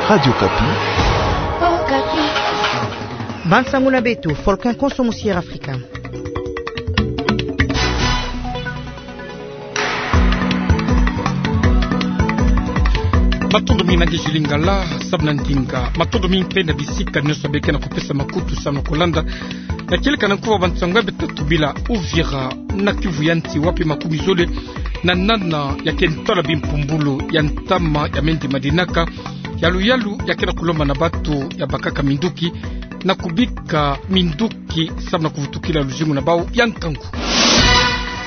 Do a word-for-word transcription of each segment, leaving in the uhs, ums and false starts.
Radio Okapi. Bansango na beto, Folkin Konso, Musier Afrika. Matondo mingi na nge Julie Ngala, samu na ndinga. Matondo mingi mpe na bisika nyonso beke na kupesa makutu samu na kulanda na kieleka na nkuva bansango ya beto tubila. Uvira, na Kivu ya nsi, wapi makumi zole na nana ya ke ntwala bimpumbulu ya ntama ya mendi madinaka ya luyalu ya ke na kulomba na bato ya bakaka minduki na kubika minduki samu na kuvutukila luzingu na bau ya nkangu.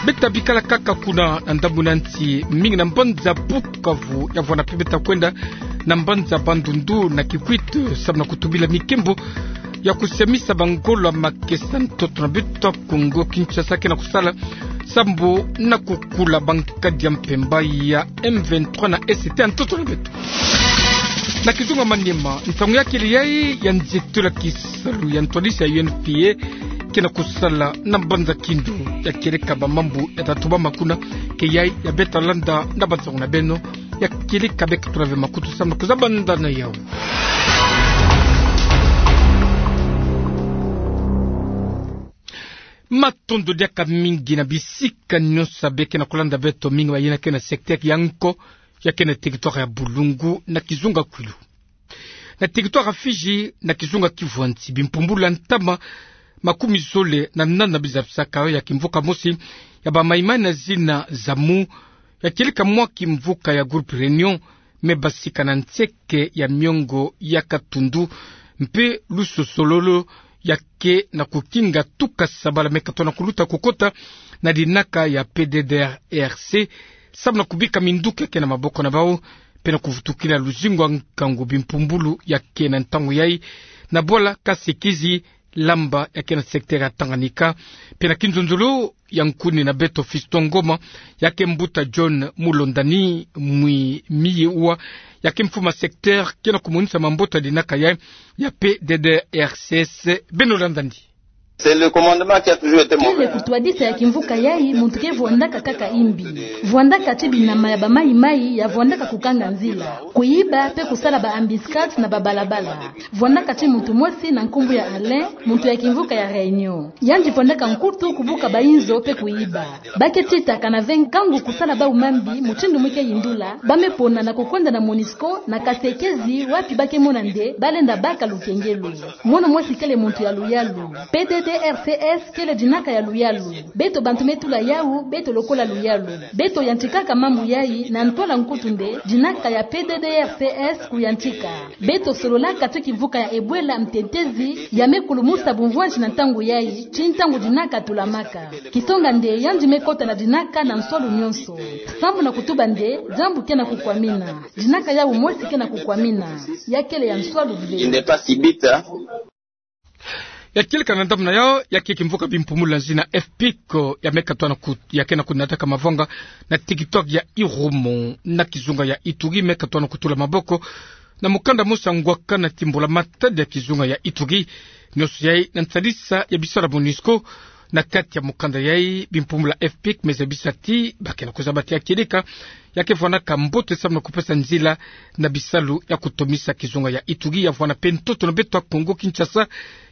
Beta bikala kaka kuna na ndambu na nsi, mingi na mbanza Bukavu ya vwanda mpe beta kwenda na mbanza Bandundu na Kikwit samu na kutubila mikembo ya kusiamisa bangolo ya makesa ntoto na beto ya Kongo Kinshasa ke na kusala sambu na kukula bankadi ya mpemba ya M vingt-trois na Est ya ntoto na beto. Na kizunga Maniema, nsangu ya kele yai ya nzietolo ya kisalu ya ntwadisi ya U N F P A ke na kusala na mbanza Kindu. Ya kieleka bamambu ya tatu bama kuna ke yai ya beta landa na bansangu na beno. Ya kieleka beka tula ve makutu samu na kuzabanda na yau. Matondo diaka mingi na bisika nyonso beke na kulanda beto, mingi bayina ke na secteur ya Nko, ya ke na territoire ya Bulungu, na kizunga Kwilu. Na territoire ya Fidji, na kizunga Kivu ya nsi, bimpumbulu ya ntama makumi zole na nana bizabisaka ya kimvuka mosi ya ba Maïmaï na zina Zamu, ya kieleka mwa kimvuka ya groupe Réunion, me basika na nseke ya miongo ya katundu, mpe lusosololo ya ke na kukinga tuka sabala me katona kuluta kukota na dinaka ya P D D R C, samu na kubika minduki ya ke na maboko na bau, mpe na kuvutukila luzingu ya nkangu. Bimpumbulu ya ke na ntangu yai na bwala Kasekizi, lamba ya ke na secteur ya Tanganyika, mpe na kinzonzolo ya nkuni na beto Fiston Ngoma, ya ke mbuta John Mulondani Mwi Miyewa, ya ke mfumu ya secteur, ke na kumonisa mamboto ya dinaka ya, ya P D D R C S. Beno landa ndi. C'est le commandement qui a toujours été mauvais. Kele kutwadisa ya kimvuka yai, muntu ke vwandaka kaka imbi. Vwandaka ti binama ya ba Maïmaï ya vwandaka kukanga nzila, kuyiba mpe kusala ba embuscades na babalabala. Vwandaka ti muntu mosi na nkumbu ya Alain, muntu ya kimvuka ya Réunion. Yandi vwandaka nkutu kubuka bayinzo mpe kuyiba. Ba ke titaka na ve nkangu kusala bau mambi mutindu mu ke yindula, ba me pona na kukwenda na MONUSCO na Kasekezi, wapi ba ke mona nde ba lenda baka lukengelo. Mono mosi kele muntu ya luyalu. P D D R C S kele dinaka ya luyalu. Beto bantu me tula yau, beto lokola luyalu, beto yantikaka mambu yai na ntwala nkutu nde dinaka ya P D D R C S kuyantika. Beto sololaka ti kimvuka ya Ebola, mtetezi ya me kulumusa bumvwanti na ntangu yai, ti ntangu dinaka tulamaka. Kisonga nde yandi me kota na dinaka na nswalu nyonso. Sambu na kutuba nde diambu ke na kukwamina, dinaka yau mosi ke na kukwamina. Ya kele ya nswalu ve. Il n'est pas si bête, hein. Ya kieleka na ndambu na yau, ya ke kimvuka bimpumbulu ya nzina F P I C, ya me katona ku-, ya ke na kunataka mavanga na territoire ya Irumu, na kizunga ya Ituri, me katona kutula maboko na mukanda mosi ya ngwaka na timbula matadi ya kizunga ya Ituri. Nyonso yai na nsalisa ya bisalu ya MONUSCO. Na kati ya mukanda yai, bimpumbulu ya F P I C me zabisa ti ba ke na kuzaba ti ya kieleka ya ke vwanaka mbote samu na kupesa nzila na bisalu ya kutomisa kizunga ya Ituri ya vwanda mpe ntoto na beto ya Kongo Kinshasa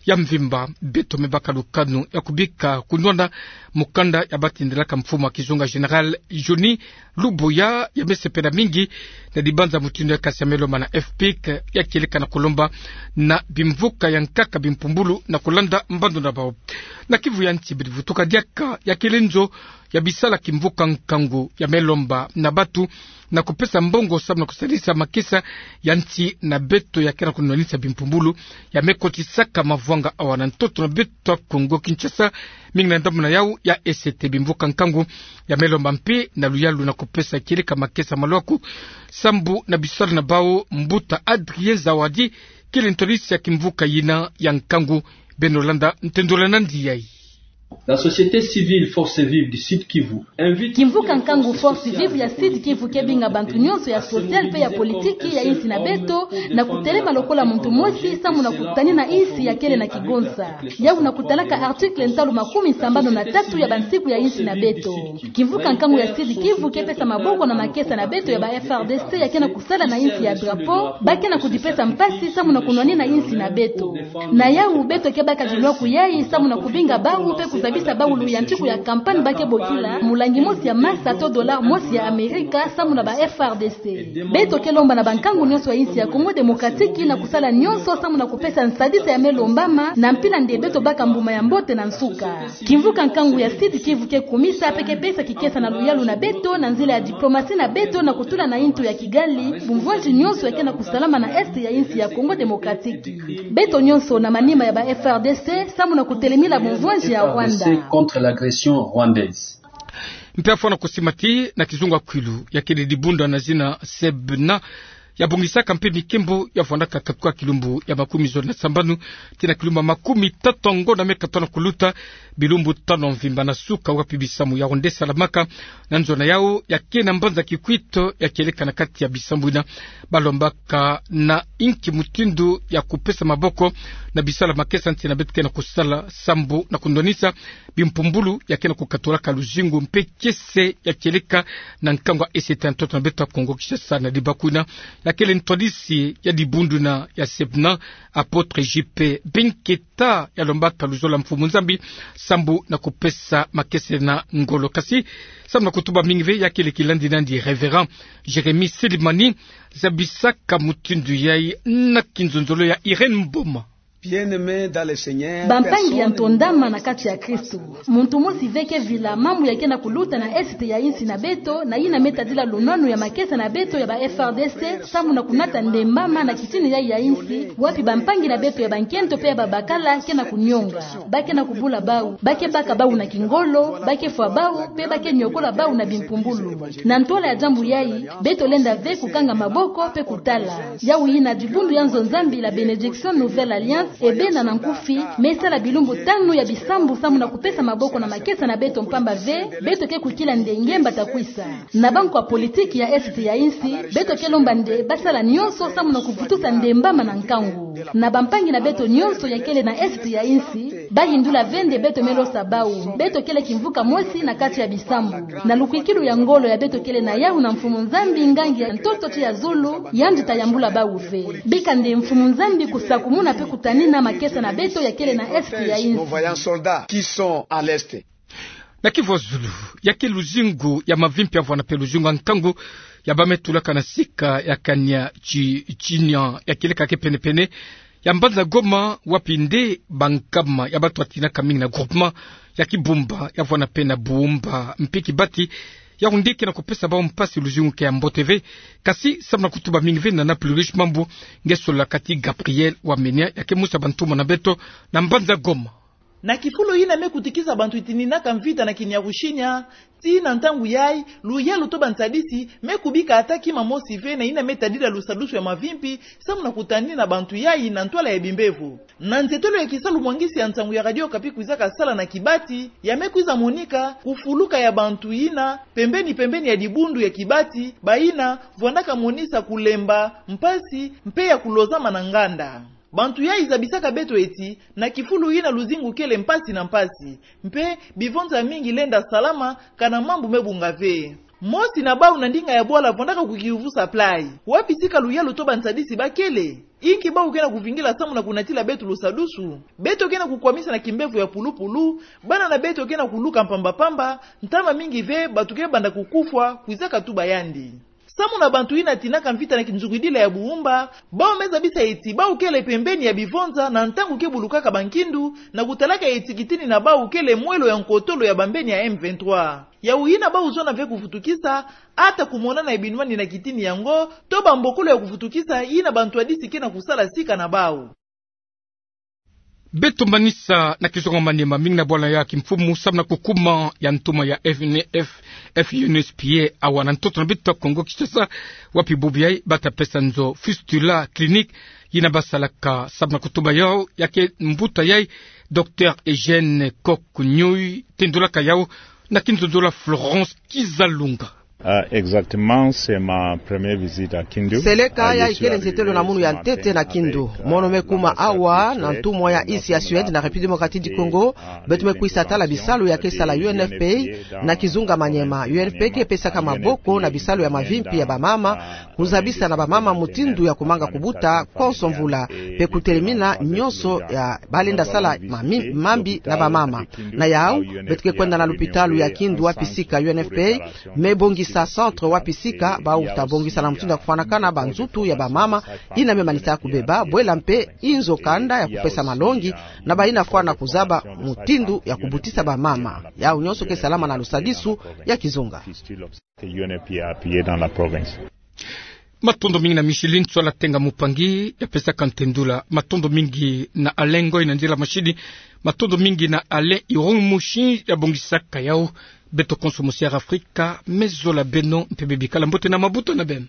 ya mvimba. Beto me baka lukanu ya kubika kunwana mukanda ya batindelaka mfumu ya kizunga, Général Johnny Luboya, ya me sepela mingi na dibanza mutindu ya kasa ya me lomba na F P I C, ya kieleka na kulomba na bimvuka ya nkaka bimpumbulu na kulanda mbandu na bau. Na Kivu ya nsi, beri vutuka diaka, ya kele nzo ya bisalu ya kimvuka nkangu, ya me lomba na batu na kupesa mbongo samu na kusalisa makesa ya nsi na beto ya ke na kunwanisa bimpumbulu ya me kotisaka mavanga awa na ntoto na beto ya Kongo Kinshasa, mingi na ndambu na yau ya Est. Bimvuka nkangu ya me lomba mpe na luyalu na kupesa kieleka makesa malwaku sambu na bisalu na bau. Mbuta Adrien Zawadi kele ntwadisi ya kimvuka yina ya nkangu. Beno landa ntendolo na ndi yai. La société civile Force Vive du Sud Kivu invite... Kimvuka nkangu Force Vive ya Sud Kivu ke binga bantu nyonso ya social pe ya politiki ya insi na beto na kutelema lokola muntu mosi samu na kutanina insi ya kele na kigonsa. Yau na kutalaka article ntalu makumi sambanu na tatu ya bansiku ya insi na beto. Kimvuka nkangu ya Sud Kivu ke pesa maboko na makesa na beto ya ba F R D C ya ke na kusala na insi ya drapeau, ba ke na kudipesa mpasi samu na kunwanina insi na beto. Na yau beto ke baka dilwaku yai samu na kubinga bau pe kuzabisa bau luyantiku ya campagne ba ke bokila mulangi mosi ya masa to dollar mosi ya Amerika samu na ba F R D C. Beto ke lomba na bankangu nyonso ya insi ya Congo Démocratique na kusala nyonso samu na kupesa nsadisa ya me lombama na mpila nde beto baka mbuma ya mbote na nsuka. Kimvuka nkangu ya Sud Kivu ke kumisa pe ke pesa kikesa na luyalu na beto na nzila ya diplomasi na beto na kutula na intu ya Kigali bumvwanzi nyonso ya ke na kusalama na est ya insi ya Congo Démocratique. Beto nyonso na manima ya ba F R D C samu na kutelemila bumvwanzi ya Rwanda. Contre l'agression rwandaise. Mpe ya fwana kusimati na kizunga kwilu ya kele dibundu na zina Sebna, ya bongisaka mpe mikembo ya fwandaka katuka kilumbu ya makumi zole na sambanu tii na kilumbu ya makumi tatu ngo na me katona kuluta, bilumbu tanu mvimba na suka, wapi bisamu ya ronde salamaka na nzona yau ya ke na mbanza Kikwit ya kieleka na kati ya bisambu ina. Ba lombaka na inki mutindu ya kupesa maboko na bisalu ya makesa nti na beto ke na kusala sambu na kundwanisa bimpumbulu ya ke na kukatulaka luzingu mpe kiese ya kieleka na nkangu ya S T ya ntoto na beto ya Kongo Kinshasa. Na dibaku ina, ya kele ntwadisi ya dibundu ina ya Sebna, Apôtre J P Binketa, ya lombaka luzolo ya Mfumu Nzambi sambu na kupesa makesa na ngolo. Kasi samu na kutuba mingi ve, ya kele kilandi nandi Révérend Jérémie Silimani, zabisaka mutindu yai na kinzonzolo ya Irène Mboma. Bien-aimés dans le Seigneur, bampangi ya ntondama na kati ya Kristu, muntu mosi ve ke vila mambu ya ke na kuluta na est ya insi na beto, na yina me tadila lunwanu ya makesa na beto ya ba F R D C samu na kunata ndembama na kitini yai ya insi, wapi bampangi na beto ya bankento pe ya babakala ke na kunionga. Ba ke na kubula bau, ba ke baka bau na kingolo, ba ke fwa bau, pe ba ke niokola bau na bimpumbulu. Na ntwala ya diambu yai, beto lenda ve kukanga maboko pe kutala. Yau yina dibundu ya nzo Nzambi la Bénédiction Nouvelle Alliance, ebena na nkufi, me sala bilumbu tanu ya bisambu samu na kupesa maboko na makesa na beto mpamba ve, beto ke kukila nde ngemba ta kwisa. Na bankwa politiki ya est ya insi, beto ke lomba nde ba sala nyonso samu na kuvutusa ndembama na nkangu. Na bampangi na beto nyonso ya kele na est ya insi, ba yindula ve nde beto me losa bau. Beto kele kimvuka mosi na kati ya bisambu. Na lukwikilu ya ngolo ya beto kele na yau na Mfumu Nzambi, ngangi ya ntoto tii ya zulu, yandi ta yambula bau ve. Bika nde Mfumu Nzambi kusakumuna pe kutanina makesa na beto ya kele na est ya insi. Nos vaillants soldats qui sont à l'est. Na Kivu ya zulu, ya ke luzingu ya mavimpi ya vwanda mpe luzingu ya nkangu ya ba me tulaka na sika ya kania ti-, tinia ya kieleka ke penepene ya mbanza Goma, wapi nde bankama ya batu batinaka mingi na groupement ya Kibumba ya vwanda mpe na Bumba mpe Kibati, ya ronde ke na kupesa bau mpasi, luzingu ke ya mbote ve. Kasi samu na kutuba mingi ve, Nana Plurish Mambu nge solola kati Gabriel Wamenia, ya ke musa bantumwa na beto na mbanza Goma. Na kifulu yina me kutikisa bantu yitininaka mvita na Kiniaru-Shinya, tii na ntangu yai, luyalu to bansadisi me kubika ata kima mosi ve na yina me tadila lusadusu ya mavimpi samu na kutanina bantu yai na ntwala ya bimbevo. Na nzietolo ya kisalu mwangisi ya nsangu ya Radio Okapi kwizaka sala na Kibati, ya me kwiza monika kufuluka ya bantu yina pembeni-pembeni ya dibundu ya Kibati, bayina vwandaka monisa kulemba, mpasi, mpe ya kulozama na nganda. Bantu yai zabisaka beto eti, na kifulu yina luzingu kele mpasi na mpasi, mpe bivonza ya mingi lenda salama, kana mambu me bunga ve. Mosi na bau na ndinga ya bwala vwandaka kukiyuvusa play: wapi sika luyalu to bansadisi ba kele? Inki bau ke na kuvingila samu na kunatila beto lusadusu? Beto ke na kukwamisa na kimbevo ya pulupulu, bana na beto ke na kuluka mpamba-mpamba, ntama mingi ve batu ke banda kukufwa, kwizaka tuba yandi. Samu na bantu yina tinaka mvita na kinzungidila ya Bumba, bau me zabisa eti bau kele pembeni ya bivonza na ntangu ke bulukaka bankindu, na kutalaka eti kitini na bau kele mwelo ya nkotolo ya bambeni ya M vingt-trois. Yau yina bau zona ve kuvutukisa, ata kumonana ya binwani na kitini yango, to bambokolo ya kuvutukisa yina bantwadisi ke na kusala sika na bau. Beto manisa na kizunga Maniema, mingi na bwala ya kimfumu sababu na kukuma ya ntumwa ya F N F, F U N S P A, awa na ntoto na beto Kongo Kinshasa, wapi bubu yayi bata pesa nzo fistula clinique, yina basalaka sababu na kutuba yawu ya ke mbuta yayi, Docteur Eugène Kock Nyoy, tendulaka yawu na kinzonzolo ya Florence Kizalunga. Ah, exactement, c'est ma première visite à Kindu. Seleka, yayi kele nzietelo na munu ya ntete na Kindu. Mono me kuma awa na ntumwa ya isi ya Suède na République Démocratique du Congo, beto me kwisa tala bisalu ya ke sala U N F P A na kizunga Maniema. U N F P A ke pesaka maboko na bisalu ya mavimpi ya bamama, kuzabisa na bamama mutindu ya kumanga kubuta konso mvula, mpe kutelemina nyonso ya balenda sala mami-, mambi na bamama. Na yawu, beto ke kwenda na lupitalu ya Kindu wapi sika U N F P A me bongisa centre wapi sika bau ta bongisa na mutindu ya kufwanakana banzutu ya bamama yina me manisa kubeba, bwela mpe inzo kanda ya kupesa malongi na bayina fwana kuzaba mutindu ya kubutisa bamama. Yawu nyonso ke salama na lusadisu ya kizunga. Matondo mingi na Micheline Tswala Tenga Mupangi ya pesaka ntendula. Matondo mingi na Alain Ngoy na nzila mashini. Matondo mingi na Alain Irung Mushi ya bongisaka yawu. Beto konso musi ya Afrika me zola beno mpe bebikala mbote na mabuta na beno.